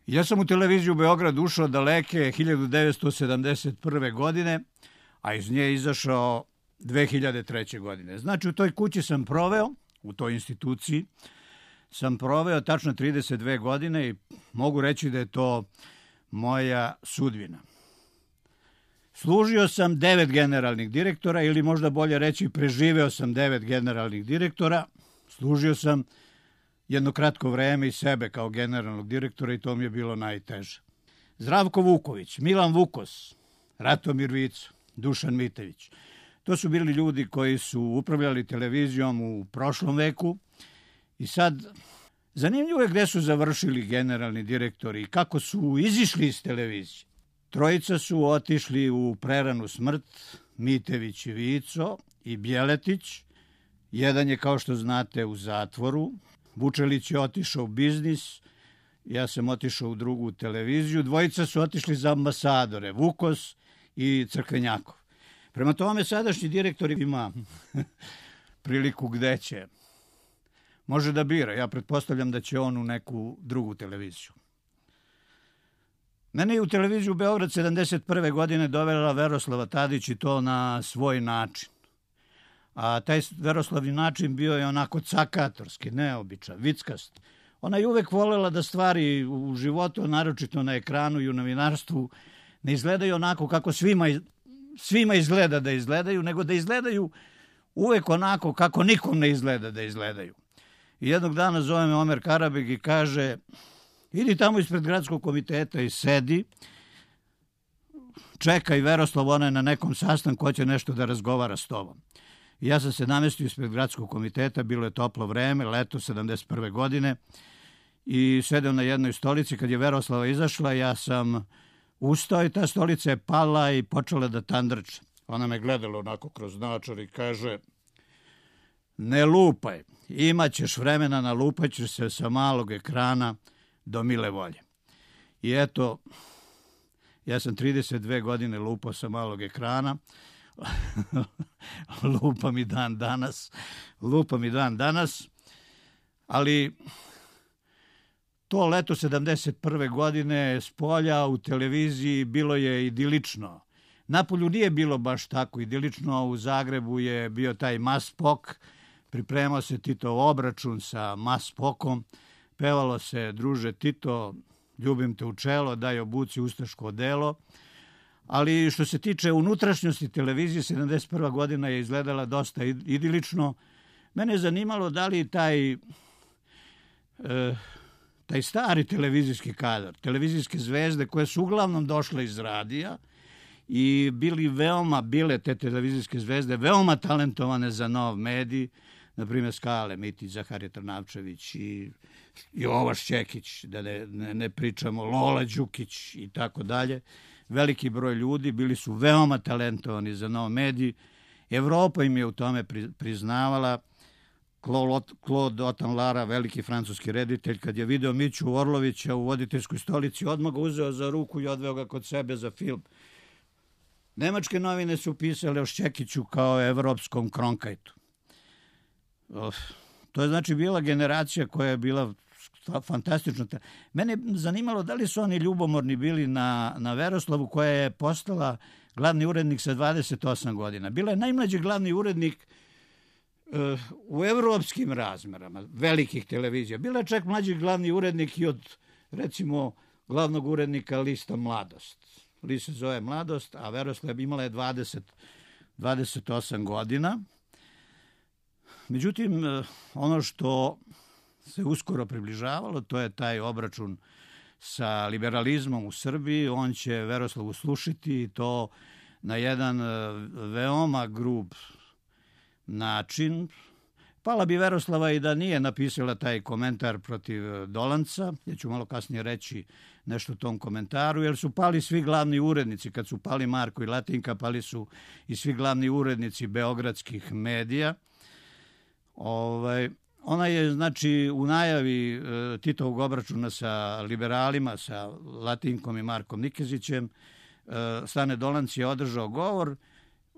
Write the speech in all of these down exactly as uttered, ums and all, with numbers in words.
Ja sam u televiziju Beograd ušao daleke hiljadu devetsto sedamdeset prve. godine, a iz nje izašao dve hiljade treće. godine. Znači, u toj kući sam proveo, u toj instituciji, sam proveo tačno trideset dve godine i mogu reći da je to moja sudbina. Služio sam devet generalnih direktora, ili možda bolje reći preživeo sam devet generalnih direktora. Služio sam jedno kratko vreme i sebe kao generalnog direktora i to mi je bilo najteže. Zdravko Vuković, Milan Vukos, Ratomir Vico, Dušan Mitević. To su bili ljudi koji su upravljali televizijom u prošlom veku i sad zanimljivo je gde su završili generalni direktori i kako su izišli iz televizije. Trojica su otišli u preranu smrt, Mitević i Vico i Bjeletić. Jedan je, kao što znate, u zatvoru. Vučelić je otišao u biznis, ja sam otišao u drugu televiziju. Dvojica su otišli za ambasadore, Vukos i Crkvenjakov. Prema tome, sadašnji direktor ima priliku gde će. Može da bira. Ja pretpostavljam da će on u neku drugu televiziju. Mene je u televiziju Beograd sedamdeset prve. godine dovela Veroslava Tadić i to na svoj način. A taj Veroslavni način bio je onako cakatorski, neobičan, vickast. Ona je uvek volela da stvari u životu, naročito na ekranu i u novinarstvu, ne izgledaju onako kako svima, svima izgleda da izgledaju, nego da izgledaju uvek onako kako nikom ne izgleda da izgledaju. I jednog dana zove me Omer Karabeg i kaže: idi tamo ispred gradskog komiteta i sedi, čekaj Veroslav, ona je na nekom sastanku, hoće nešto da razgovara s tobom. I ja sam se namestio ispred gradskog komiteta, bilo je toplo vreme, leto sedamdeset prve. godine, i sedeo na jednoj stolici. Kad je Veroslava izašla, ja sam ustao i ta stolica je pala i počela da tandrče. Ona me gledala onako kroz naočar i kaže: ne lupaj, imat ćeš vremena, nalupaćeš se sa malog ekrana do mile volje. I eto, ja sam trideset dve godine lupao sa malog ekrana, lupam i dan danas, lupam i dan danas, ali to leto sedamdeset prve. godine s polja u televiziji bilo je idilično. Napolju nije bilo baš tako idilično, u Zagrebu je bio taj Maspok, pripremao se Titov obračun sa Maspokom, pevalo se: druže Tito, ljubim te u čelo, daj obuci ustaško odelo. Ali što se tiče unutrašnjosti televizije, sedamdeset prva. godina je izgledala dosta idilično. Mene je zanimalo da li taj, e, taj stari televizijski kadar, televizijske zvezde koje su uglavnom došle iz radija i bili veoma, bile te televizijske zvezde veoma talentovane za nov medij, na primjer Skale Mitić, Zaharije Trnavčević i Jova Šćekić, da ne, ne, ne pričamo, Lola Đukić i tako dalje. Veliki broj ljudi bili su veoma talentovani za nov medij. Evropa im je u tome priznavala. Claude Autant-Lara, veliki francuski reditelj, kad je video Miću Orlovića u voditeljskoj stolici, odmah ga uzeo za ruku i odveo ga kod sebe za film. Nemačke novine su pisale o Šćekiću kao evropskom Kronkajtu. To je znači bila generacija koja je bila fantastično. Mene je zanimalo da li su oni ljubomorni bili na, na Veroslavu, koja je postala glavni urednik sa dvadeset osam godina. Bila je najmlađi glavni urednik uh, u evropskim razmerama velikih televizija. Bila je čak mlađi glavni urednik i od, recimo, glavnog urednika lista Mladost. List se zove Mladost, a Veroslav imala je dvadeset, dvadeset osam godina. Međutim, ono što se uskoro približavalo, to je taj obračun sa liberalizmom u Srbiji. On će Veroslavu slušiti i to na jedan veoma grub način. Pala bi Veroslava i da nije napisala taj komentar protiv Dolanca. Ja ću malo kasnije reći nešto o tom komentaru, jer su pali svi glavni urednici. Kad su pali Marko i Latinka, pali su i svi glavni urednici beogradskih medija. Ovaj... Ona je, znači, u najavi e, Titovog obračuna sa liberalima, sa Latinkom i Markom Nikezićem, e, Stane Dolanc je održao govor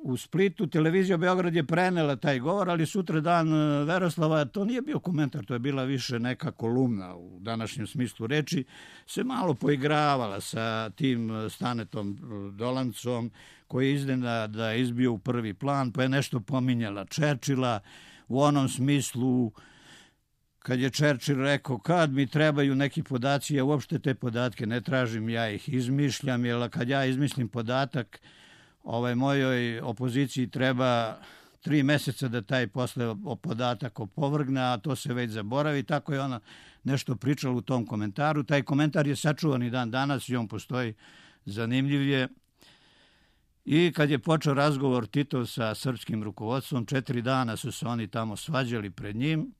u Splitu, televizija Beograd je prenela taj govor, ali sutra dan Veroslava, to nije bio komentar, to je bila više neka kolumna u današnjem smislu reči, se malo poigravala sa tim Stanetom Dolancom, koji je iznenada izbio u prvi plan, pa je nešto pominjala Čerčila u onom smislu kad je Čerčil rekao kad mi trebaju neki podaci, ja uopšte te podatke ne tražim, ja ih izmišljam, jer kad ja izmislim podatak, ovaj, mojoj opoziciji treba tri meseca da taj posle podatak opovrgne, a to se već zaboravi. Tako je ona nešto pričala u tom komentaru. Taj komentar je sačuvan i dan danas i on postoji, zanimljiv je. I kad je počeo razgovor Titov sa srpskim rukovodstvom, četiri dana su se oni tamo svađali pred njim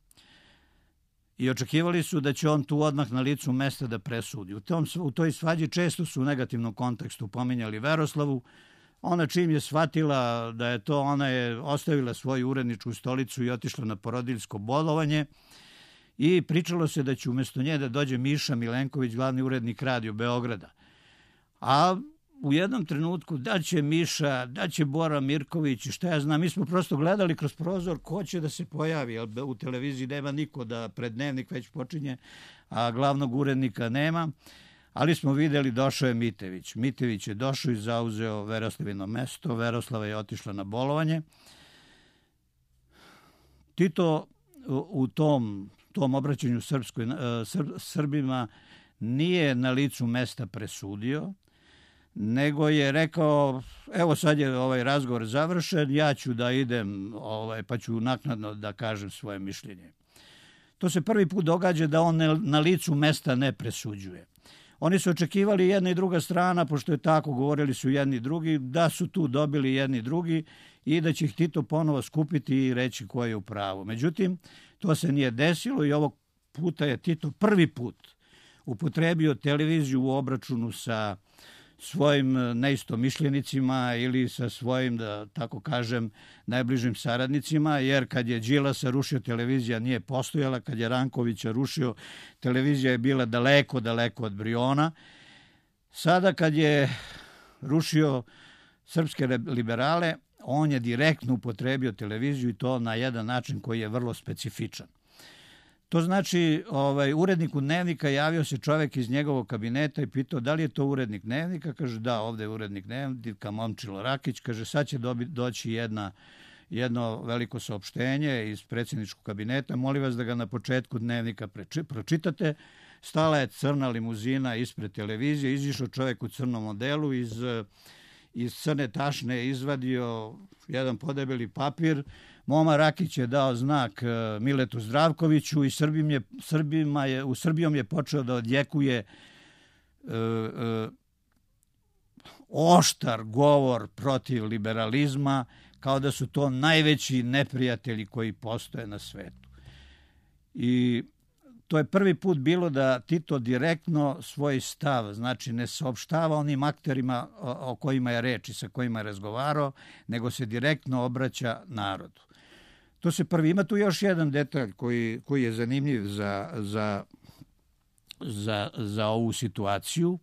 i očekivali su da će on tu odmah na licu mesta da presudi. U, tom, u toj svađi često su u negativnom kontekstu pominjali Veroslavu. Ona čim je shvatila da je to, ona je ostavila svoju uredničku stolicu i otišla na porodiljsko bolovanje i pričalo se da će umjesto nje da dođe Miša Milenković, glavni urednik Radio Beograda. A u jednom trenutku da će Miša, da će Bora Mirković i šta ja znam, mi smo prosto gledali kroz prozor ko će da se pojavi, jer u televiziji nema niko da pred dnevnik već počinje, a glavnog urednika nema. Ali smo videli, došao je Mitević. Mitević je došao i zauzeo Veroslavino mesto. Veroslava je otišla na bolovanje. Tito u tom, tom obraćanju Srpskoj, Srbima nije na licu mesta presudio, nego je rekao, evo sad je ovaj razgovor završen, ja ću da idem, ovaj, pa ću naknadno da kažem svoje mišljenje. To se prvi put događa da on na licu mesta ne presuđuje. Oni su očekivali jedna i druga strana, pošto je tako, govorili su jedni i drugi, da su tu dobili jedni i drugi i da će ih Tito ponovo skupiti i reći ko je u pravu. Međutim, to se nije desilo i ovog puta je Tito prvi put upotrebio televiziju u obračunu sa svojim neistomišljenicima ili sa svojim, da tako kažem, najbližim saradnicima, jer kad je Đilasa rušio, televizija nije postojala, kad je Rankovića rušio, televizija je bila daleko, daleko od Briona. Sada kad je rušio srpske liberale, on je direktno upotrebio televiziju i to na jedan način koji je vrlo specifičan. To znači, ovaj, uredniku Dnevnika javio se čovjek iz njegovog kabineta i pitao da li je to urednik Dnevnika. Kaže, da, ovdje je urednik Dnevnika, Momčilo Rakić. Kaže, sad će dobi, doći jedna, jedno veliko saopštenje iz predsjedničkog kabineta. Molim vas da ga na početku Dnevnika preči, pročitate. Stala je crna limuzina ispred televizije. Izišao čovjek u crnom modelu, iz, iz crne tašne je izvadio jedan podebeli papir. Moma Rakić je dao znak Miletu Zdravkoviću i Srbim je, Srbima je, u Srbijom je počeo da odjekuje e, e, oštar govor protiv liberalizma, kao da su to najveći neprijatelji koji postoje na svetu. I to je prvi put bilo da Tito direktno svoj stav, znači ne saopštava onim akterima o kojima je reč i sa kojima je razgovarao, nego se direktno obraća narodu. To se prvi. Ima tu još jedan detalj koji, koji je zanimljiv za, za, za, za ovu situaciju.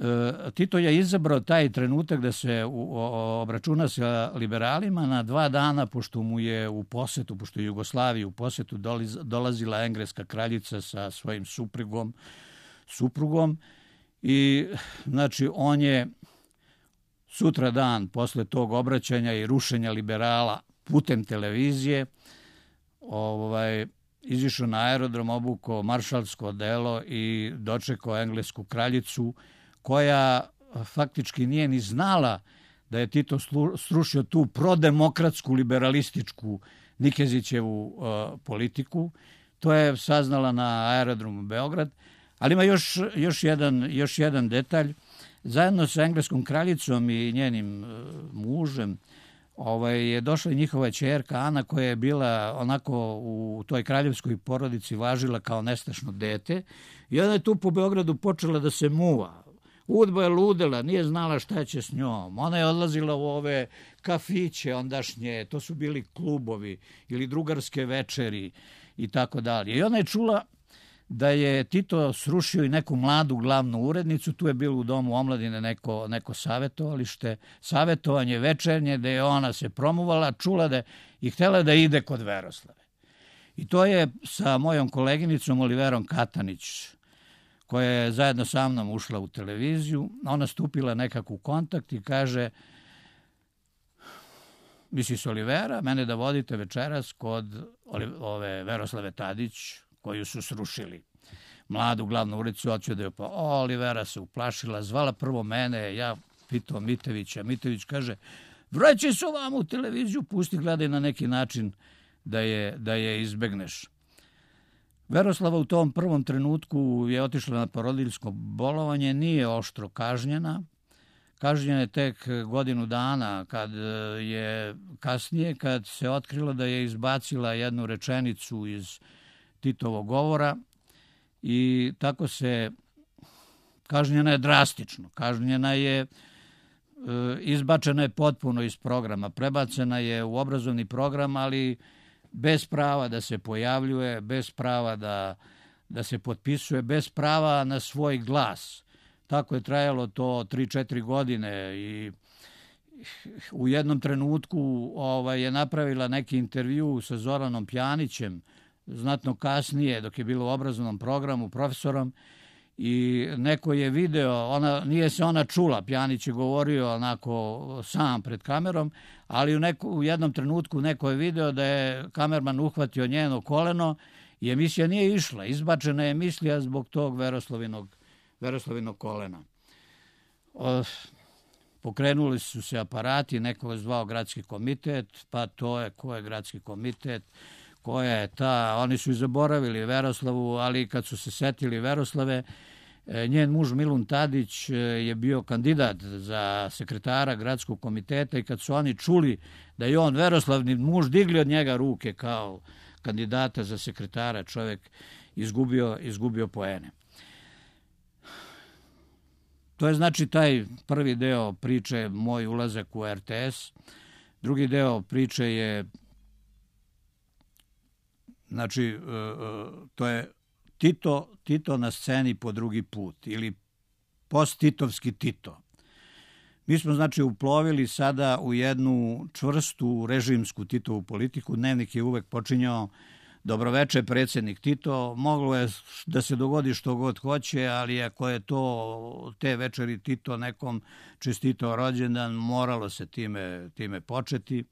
E, Tito je izabrao taj trenutak da se u, o, obračuna sa liberalima na dva dana, pošto mu je u posetu, pošto je Jugoslaviji u posetu doliz, dolazila engleska kraljica sa svojim suprugom, suprugom i znači on je sutra dan posle tog obraćanja i rušenja liberala putem televizije ovaj, izišao na aerodrom, obukao maršalsko odelo i dočekao englesku kraljicu, koja faktički nije ni znala da je Tito srušio tu prodemokratsku, liberalističku Nikezićevu uh, politiku. To je saznala na aerodromu Beograd. Ali ima još, još, jedan, još jedan detalj. Zajedno sa engleskom kraljicom i njenim uh, mužem ovaj, je došla i njihova ćerka Ana, koja je bila onako u toj kraljevskoj porodici važila kao nestašno dete. I ona je tu po Beogradu počela da se muva. Udba je ludela, nije znala šta će s njom. Ona je odlazila u ove kafiće ondašnje, to su bili klubovi ili drugarske večeri i tako dalje. I ona je čula da je Tito srušio i neku mladu glavnu urednicu, tu je bilo u Domu omladine neko, neko savjetovalište, savjetovanje večernje, da je ona se promovala, čula da i htjela da ide kod Veroslave. I to je sa mojom koleginicom Oliverom Katanić, koja je zajedno sa mnom ušla u televiziju, ona stupila nekako u kontakt i kaže, mislis Olivera, mene da vodite večeras kod ove Veroslave Tadić, koju su srušili. Mladu glavnu ulicu, hoću da je pa, o, Olivera se uplašila, zvala prvo mene, ja pitao Mitevića, Mitević kaže, vraćaj se ovam u televiziju, pusti, gledaj na neki način da je, da je izbegneš. Veroslava u tom prvom trenutku je otišla na porodiljsko bolovanje, nije oštro kažnjena. Kažnjena je tek godinu dana, kad je kasnije, kad se otkrilo da je izbacila jednu rečenicu iz Titovog govora i tako se kažnjena je drastično. Kažnjena je, izbačena je potpuno iz programa, prebacena je u obrazovni program, ali bez prava da se pojavljuje, bez prava da, da se potpisuje, bez prava na svoj glas. Tako je trajalo to tri četiri godine i u jednom trenutku ovaj, je napravila neki intervju sa Zoranom Pjanićem, znatno kasnije, dok je bilo u obrazovnom programu, profesorom, i neko je video, ona, nije se ona čula, Pjanić je govorio onako sam pred kamerom, ali u, neko, u jednom trenutku neko je video da je kamerman uhvatio njeno koleno i emisija nije išla. Izbačena je emisija zbog tog Veroslavinog, Veroslavinog kolena. O, pokrenuli su se aparati, neko je zvao gradski komitet, pa to je ko je gradski komitet, koja je ta, oni su i zaboravili Veroslavu, ali kad su se setili Veroslave, njen muž Milun Tadić je bio kandidat za sekretara gradskog komiteta i kad su oni čuli da je on Veroslavni muž, digli od njega ruke kao kandidata za sekretara, čovjek izgubio, izgubio poene. To je znači taj prvi deo priče, moj ulazak u er te es. Drugi deo priče je, znači, to je Tito, Tito na sceni po drugi put ili post-titovski Tito. Mi smo, znači, uplovili sada u jednu čvrstu režimsku Titovu politiku. Dnevnik je uvek počinjao dobroveče, predsjednik Tito. Moglo je da se dogodi što god hoće, ali ako je to te večeri Tito nekom čestitao rođendan, moralo se time, time početi.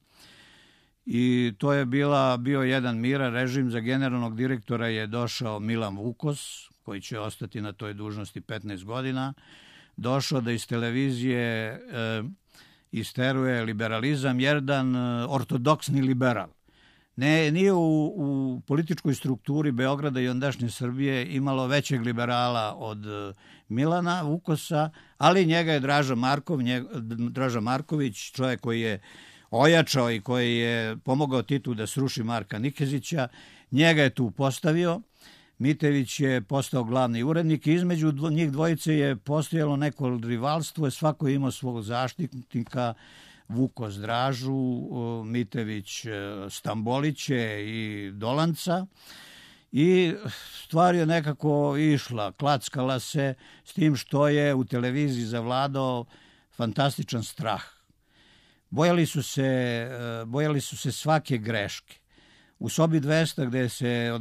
I to je bila, bio jedan miran režim. Za generalnog direktora je došao Milan Vukos, koji će ostati na toj dužnosti petnaest godina. Došao da iz televizije e, isteruje liberalizam, jedan ortodoksni liberal. Ne, nije u, u političkoj strukturi Beograda i ondašnje Srbije imalo većeg liberala od Milana Vukosa, ali njega je Draža Markov, njega, Draža Marković, čovjek koji je ojačao i koji je pomogao Titu da sruši Marka Nikezića, njega je tu postavio. Mitević je postao glavni urednik i između njih dvojice je postojalo neko rivalstvo, svako je imao svog zaštitnika, Vukos Dražu, Mitević Stamboliće i Dolanca. I stvar je nekako išla, klackala se, s tim što je u televiziji zavladao fantastičan strah. Bojali su se, bojali su se svake greške. U sobi dvesta gde se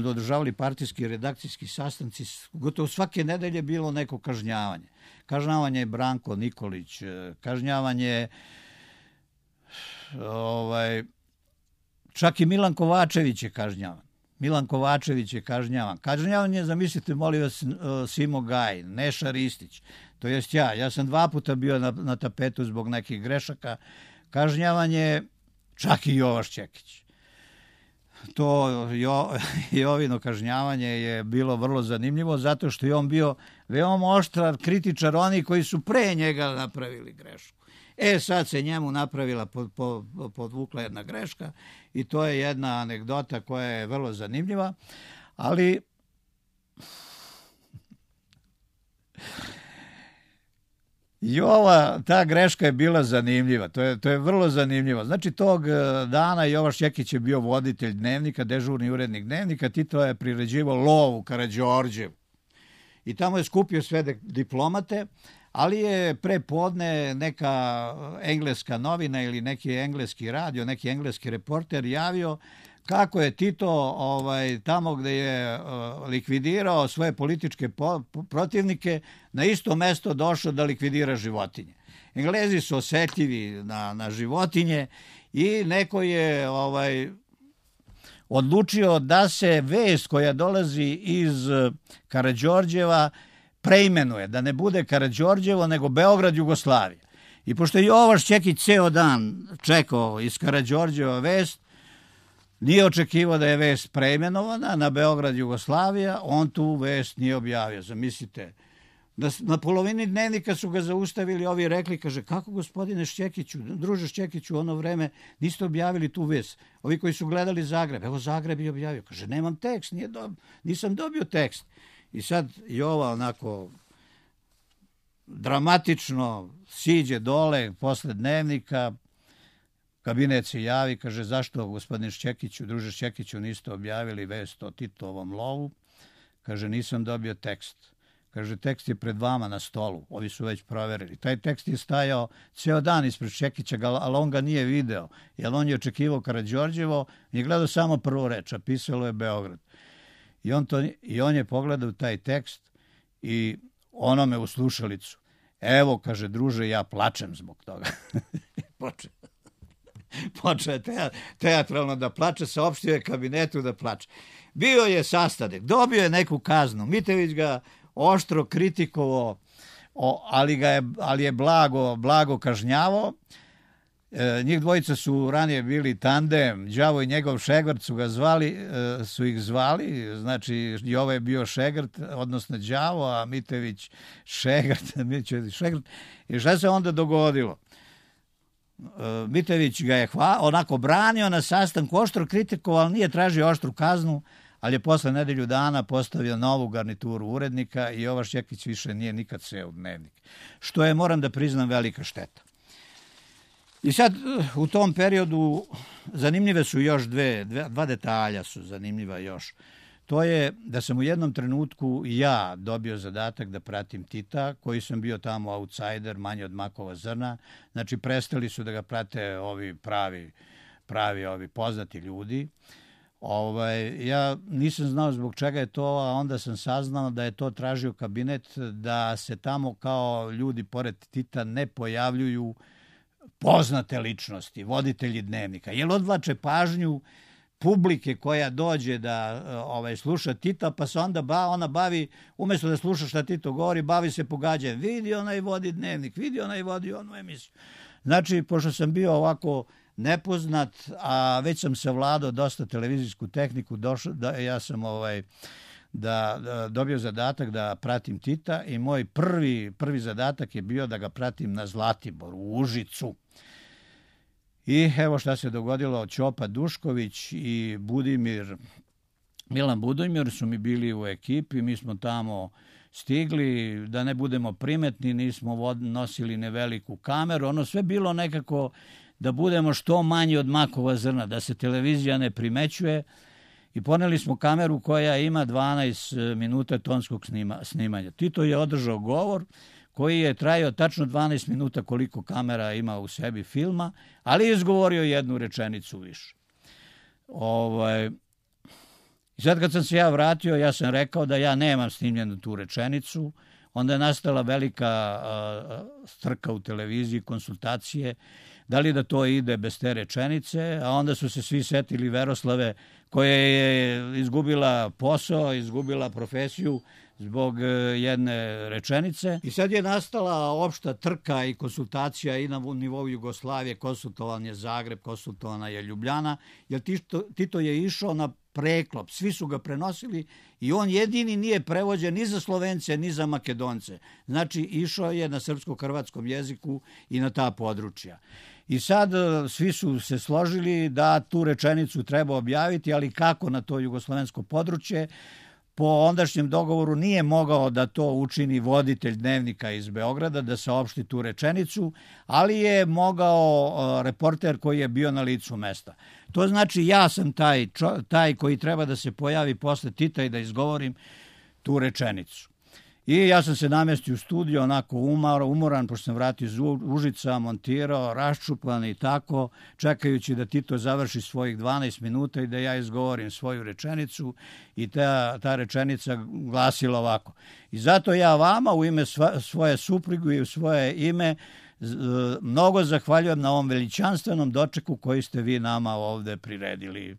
održavali partijski i redakcijski sastanci, gotovo svake nedelje bilo neko kažnjavanje. Kažnjavanje je Branko Nikolić, kažnjavanje ovaj, čak i Milan Kovačević je kažnjavan. Milan Kovačević je kažnjavan. Kažnjavanje, zamislite, molim vas, Simo Gaj, Neša Ristić, to jest ja. Ja sam dva puta bio na, na tapetu zbog nekih grešaka. Kažnjavanje čak i Jovaš Čekić. To jo, Jovino kažnjavanje je bilo vrlo zanimljivo zato što je on bio veoma oštrar kritičar oni koji su pre njega napravili grešku. E sad se njemu napravila, pod, pod, podvukla jedna greška i to je jedna anegdota koja je vrlo zanimljiva, ali I ova, ta greška je bila zanimljiva, to je, to je vrlo zanimljivo. Znači, tog dana Jovan Šćekić je bio voditelj Dnevnika, dežurni urednik Dnevnika, Tito je priređivao lov u Karađorđevu. I tamo je skupio sve diplomate, ali je pre podne neka engleska novina ili neki engleski radio, neki engleski reporter javio kako je Tito ovaj, tamo gde je uh, likvidirao svoje političke po, protivnike, na isto mesto došao da likvidira životinje. Englezi su osetljivi na, na životinje i neko je ovaj, odlučio da se vest koja dolazi iz Karađorđeva preimenuje, da ne bude Karađorđevo, nego Beograd, Jugoslavija. I pošto je Jovan Šćekić ceo dan čekao iz Karađorđeva vest, nije očekivao da je vest preimenovana na Beograd, Jugoslavija, on tu vest nije objavio. Zamislite, na polovini Dnevnika su ga zaustavili, ovi rekli, kaže, kako gospodine Šćekiću, druže Šćekiću, u ono vreme niste objavili tu vest. Ovi koji su gledali Zagreb, evo Zagreb je objavio, kaže, nemam tekst, nije do, nisam dobio tekst. I sad Jova onako dramatično siđe dole posle Dnevnika, kabinet se javi, kaže, zašto gospodine Šćekiću, druže Šćekiću, niste objavili vest o Titovom lovu? Kaže, nisam dobio tekst. Kaže, tekst je pred vama na stolu, ovi su već proverili. Taj tekst je stajao ceo dan ispred Šćekića, ali on ga nije video, jer on je očekivao Karađorđevo i gledao samo prvu reč, a pisalo je Beograd. I on, to, I on je pogledao taj tekst i onome u slušalicu. Evo, kaže, druže, ja plačem zbog toga. Počeo. Počeo je teatralno da plače, saopštio je kabinetu da plače. Bio je sastanak, dobio je neku kaznu. Mitević ga oštro kritikovao, ali, ga je, ali je blago, blago kažnjavao. E, njih dvojica su ranije bili tandem, Đavo i njegov šegrt su ga zvali, e, su ih zvali, znači Jovo je bio šegrt, odnosno Đavo, a Mitević šegrt, Mitević šegrt. I šta se onda dogodilo? E, Mitević ga je hva, onako branio na sastanku, oštro kritikovao, ali nije tražio oštru kaznu, ali je posle nedelju dana postavio novu garnituru urednika i Jovan Šćekić više nije nikad seo u Dnevnik. Što je, moram da priznam, velika šteta. I sad u tom periodu zanimljive su još dve, dve, dva detalja su zanimljiva još. To je da sam u jednom trenutku ja dobio zadatak da pratim Tita, koji sam bio tamo outsider, manje od makova zrna. Znači, prestali su da ga prate ovi pravi, pravi ovi poznati ljudi. Ovaj, ja nisam znao zbog čega je to, a onda sam saznao da je to tražio kabinet, da se tamo kao ljudi pored Tita ne pojavljuju poznate ličnosti, voditelji Dnevnika, jer odvlače pažnju publike koja dođe da ovaj, sluša Tita, pa se onda ba, ona bavi, umjesto da sluša šta Tito govori, bavi se pogađanjem. Vidi, onaj vodi Dnevnik, vidi, onaj vodi onu emisiju. Znači, pošto sam bio ovako nepoznat, a već sam savladao dosta televizijsku tehniku, došao, da, ja sam ovaj, da, da dobio zadatak da pratim Tita i moj prvi, prvi zadatak je bio da ga pratim na Zlatiboru, u Užicu. I evo šta se dogodilo, Ćopa Dušković i Budimir, Milan Budimir su mi bili u ekipi, mi smo tamo stigli, da ne budemo primetni, nismo nosili neveliku kameru, ono sve bilo nekako da budemo što manji od makova zrna, da se televizija ne primećuje i poneli smo kameru koja ima dvanaest minuta tonskog snima, snimanja. Tito je održao govor koji je trajao tačno dvanaest minuta koliko kamera ima u sebi filma, ali je izgovorio jednu rečenicu više. Ovaj, I sad kad sam se ja vratio, ja sam rekao da ja nemam snimljenu tu rečenicu, onda je nastala velika a, strka u televiziji, konsultacije, da li da to ide bez te rečenice, a onda su se svi setili Veroslave koja je izgubila posao, izgubila profesiju zbog jedne rečenice. I sad je nastala opšta trka i konsultacija i na nivou Jugoslavije, konsultovan je Zagreb, konsultovana je Ljubljana, jer Tito, Tito je išao na preklop, svi su ga prenosili i on jedini nije prevođen ni za Slovence, ni za Makedonce. Znači, išao je na srpsko-hrvatskom jeziku i na ta područja. I sad svi su se složili da tu rečenicu treba objaviti, ali kako na to jugoslovensko područje? po ondašnjem dogovoru nije mogao da to učini voditelj Dnevnika iz Beograda, da saopšti tu rečenicu, ali je mogao reporter koji je bio na licu mesta. To znači ja sam taj, taj koji treba da se pojavi posle Tita i da izgovorim tu rečenicu. I ja sam se namestio u studiju, onako umor, umoran, pošto sam vratio iz Užica, montirao, raščupan i tako, čekajući da Tito završi svojih dvanaest minuta i da ja izgovorim svoju rečenicu. I ta, ta rečenica glasila ovako. I zato ja vama u ime sva, svoje supruge i u svoje ime mnogo zahvaljujem na ovom veličanstvenom dočeku koji ste vi nama ovde priredili.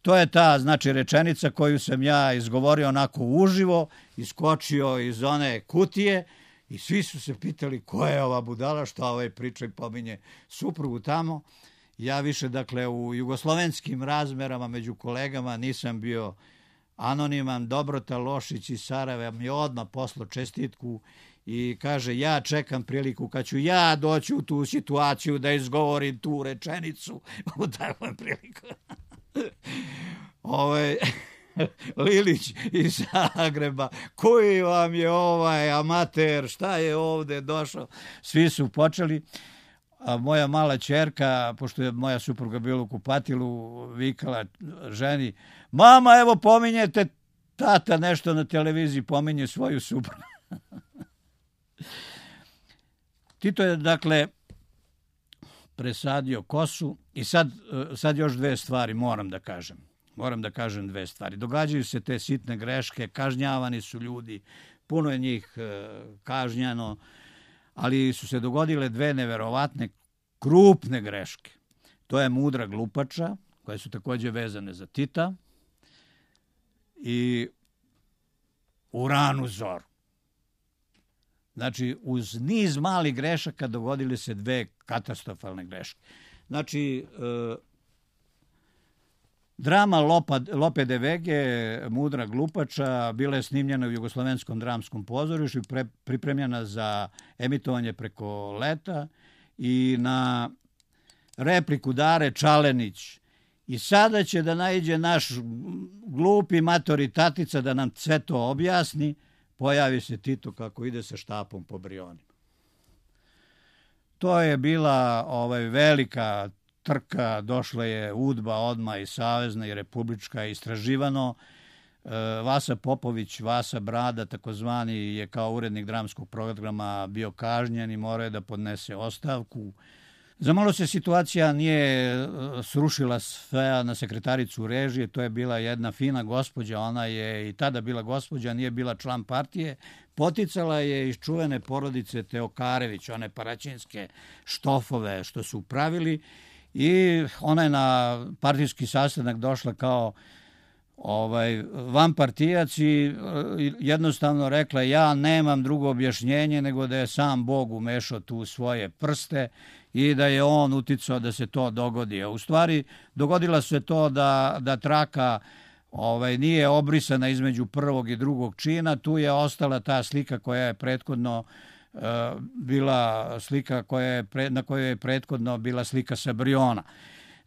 To je ta, znači, rečenica koju sam ja izgovorio onako uživo, iskočio iz one kutije i svi su se pitali ko je ova budala, šta ovaj priča i pominje suprugu tamo. Ja više, dakle, u jugoslovenskim razmerama među kolegama nisam bio anoniman. Dobrota Lošić iz Sarajeva mi je odmah poslao čestitku i kaže, ja čekam priliku kad ću ja doći u tu situaciju da izgovorim tu rečenicu u takvom priliku. Ovaj Lilić iz Zagreba, koji vam je ovaj amater, šta je ovde došao? Svi su počeli, a moja mala ćerka, pošto je moja supruga bila u kupatilu, vikala ženi, mama, evo pominjete, tata nešto na televiziji pominje svoju suprugu. Tito je, dakle, presadio kosu i sad, sad još dve stvari moram da kažem. Moram da kažem dve stvari. Događaju se te sitne greške, kažnjavani su ljudi, puno je njih kažnjano, ali su se dogodile dve neverovatne, krupne greške. To je Mudra glupača, koje su takođe vezane za Tita, i U ranu zoru. Znači, uz niz malih grešaka dogodile se dve katastrofalne greške. Znači, e, drama Lopa, Lope de Vege, Mudra glupača, bila je snimljena u Jugoslovenskom dramskom pozorištu i pre, pripremljena za emitovanje preko leta i na repliku Dare Čalenić. I sada će da naiđe naš glupi matori tatica da nam sve to objasni. Pojavi se Tito kako ide sa štapom po Brionima. To je bila ovaj, velika trka, došla je UDBA odmah i savezna i republička, istraživano. Vasa Popović, Vasa Brada, takozvani, je kao urednik dramskog programa bio kažnjen i morao je da podnese ostavku. Zamalo se situacija nije srušila sve na sekretaricu režije, to je bila jedna fina gospođa, ona je i tada bila gospođa, nije bila član partije, poticala je iz čuvene porodice Teokarević, one paraćinske štofove što su pravili, i ona je na partijski sastanak došla kao ovaj vanpartijac i jednostavno rekla, ja nemam drugo objašnjenje nego da je sam Bog umešao tu svoje prste i da je on uticao da se to dogodi. A u stvari dogodilo se to da, da traka ovaj, nije obrisana između prvog i drugog čina, tu je ostala ta slika koja je prethodno uh, bila slika koja je, pre, na kojoj je prethodno bila slika sa Briona.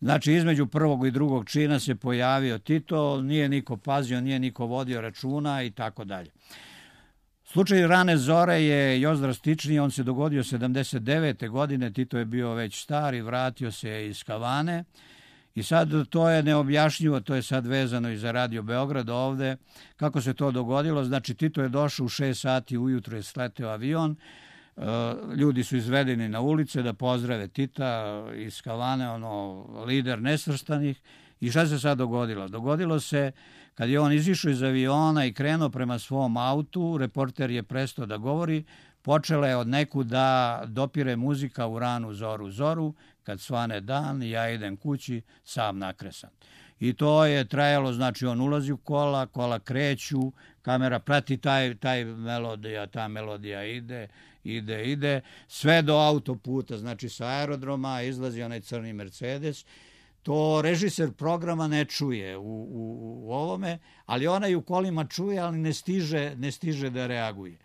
Znači, između prvog i drugog čina se pojavio Tito, nije niko pazio, nije niko vodio računa i tako dalje. Slučaj Rane zore je još drastičniji, on se dogodio sedamdeset devete godine, Tito je bio već star i vratio se iz Havane i sad to je neobjašnjivo, to je sad vezano i za Radio Beograd ovde, kako se to dogodilo. Znači, Tito je došao u šest sati ujutro, je sleteo avion, ljudi su izvedeni na ulice da pozdrave Tita iz Havane, ono, lider nesvrstanih. I šta se sad dogodilo? Dogodilo se, kad je on izišao iz aviona i krenuo prema svom autu, reporter je prestao da govori, počela je od neku da dopire muzika U ranu zoru zoru, kad svane dan, ja idem kući, sam nakresan. I to je trajalo, znači on ulazi u kola, kola kreću, kamera prati taj, taj melodija, ta melodija ide, ide, ide, sve do autoputa, znači sa aerodroma izlazi onaj crni Mercedes. To režiser programa ne čuje u, u, u ovome, ali onaj u kolima čuje, ali ne stiže, ne stiže da reaguje.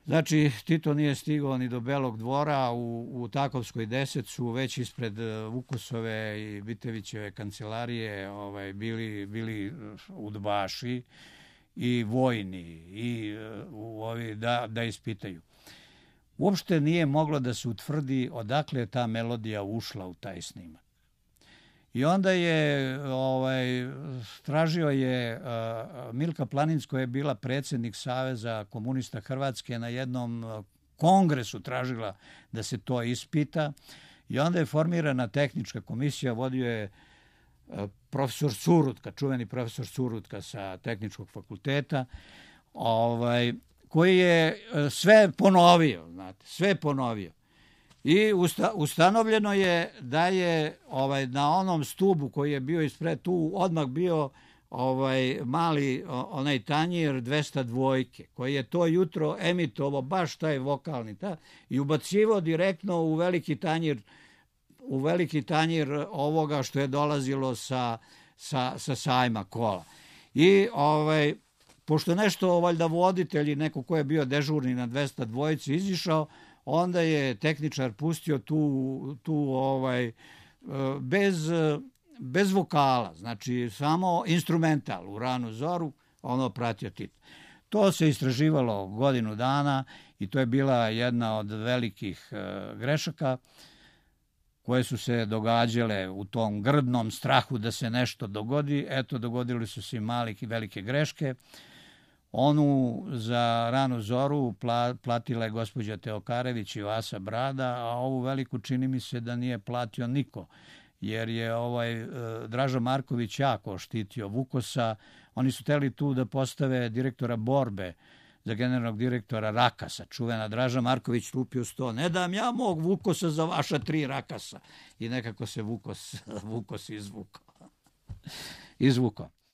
Znači, Tito nije stigao ni do Belog dvora, u, u Takovskoj deset su već ispred Vukosove i Bitevićeve kancelarije ovaj, bili, bili udbaši i vojni i u ovi da, da ispitaju. Uopšte nije moglo da se utvrdi odakle je ta melodija ušla u taj snimak. I onda je, ovaj, tražio je, uh, Milka Planinc, koja je bila predsjednik Saveza komunista Hrvatske, na jednom kongresu tražila da se to ispita. I onda je formirana tehnička komisija, vodio je profesor Surutka, čuveni profesor Surutka sa tehničkog fakulteta, ovaj, koji je sve ponovio, znate, sve ponovio. I usta, ustanovljeno je da je ovaj, na onom stubu koji je bio ispred, tu odmah bio ovaj mali onaj tanjir dvesta dvojke, koji je to jutro emitovao baš taj vokalni ta, i ubacivao direktno u veliki tanjir u veliki tanjir ovoga što je dolazilo sa, sa, sa sajma kola. I ovaj, pošto nešto valjda voditelj i neko ko je bio dežurni na dvesta dvojici izišao, onda je tehničar pustio tu, tu ovaj, bez, bez vokala, znači samo instrumental u ranu zoru, ono pratio Tito. To se istraživalo godinu dana i to je bila jedna od velikih grešaka koje su se događale u tom grdnom strahu da se nešto dogodi. Eto, dogodili su se i malih i velike greške. Onu za ranu zoru platila je gospođa Teokarević i Vasa Brada, a ovu veliku čini mi se da nije platio niko, jer je ovaj Draža Marković jako štitio Vukosa. Oni su hteli tu da postave direktora borbe za generalnog direktora Rakasa. Čuvena Draža Marković lupio sto. Ne dam ja mog Vukosa za vaša tri Rakasa. I nekako se Vukos, Vukos izvukao. izvukao.